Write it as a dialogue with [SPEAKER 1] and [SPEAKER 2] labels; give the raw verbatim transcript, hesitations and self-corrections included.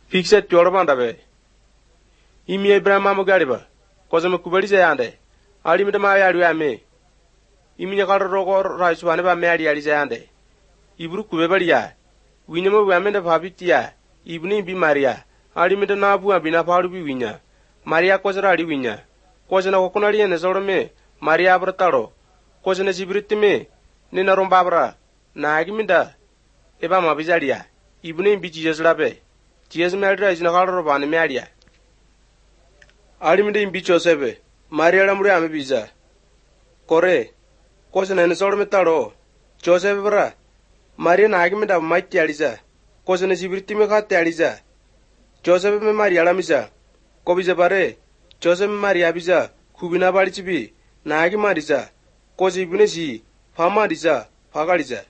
[SPEAKER 1] Fixet Jormanda be. Imi Abraham Amugariba. Cosmo Kubali Zayande. Alimita Maya me. Imi Nakaro Rice Waneva Mary Alizande. Ibru Kubebaria. We never women of Habitia. Evening be Maria. Alimita Nabu and Binaparu Vinya. Maria Cosaradi Vinya. Cosana Oconari and Zorome. Maria Brataro. Cosana Zibritime. Nina Rombabra. Nagimida. Eba Mabizaria. Evening be Jesus Labe. Jesus Madra is in a horror of Animaria. Alimida in Bicho Sebe. Maria Lamria Mabiza. Corre. Cousin and Sormetaro. Joseph Bra. Maria Nagimida Mighty Aliza. Cousin is Ibritimica Taliza. Joseph Maria Lamisa. Cobiza Bare. Joseph Maria Biza. Kubina Barichibi. Nagimariza. Cosi Bunesi. Famadiza. Pagaliza.